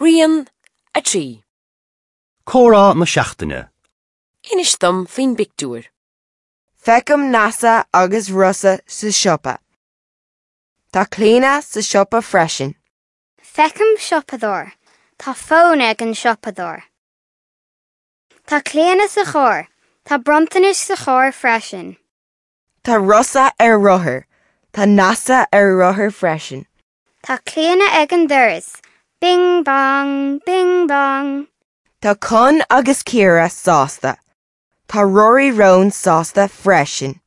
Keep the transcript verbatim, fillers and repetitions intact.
Rian a trí. Comhrá na seachtaine. Inis dom faoin bpictiúr. Feicim Neasa agus Rossa sa siopa. Tá Clíona sa siopa freisin. Feicim siopadóir. Tá fón ag an siopadóir. Tá Clíona sa charr. Tá bronntanais sa charr freisin. Tá Rossa ar rothar. Tá Neasa ar rothar freisin. Tá Clíona ag an doras. Bing bong, bing bong. Tá Con agus Ciara sásta. Tá Rory Roan sásta freisin.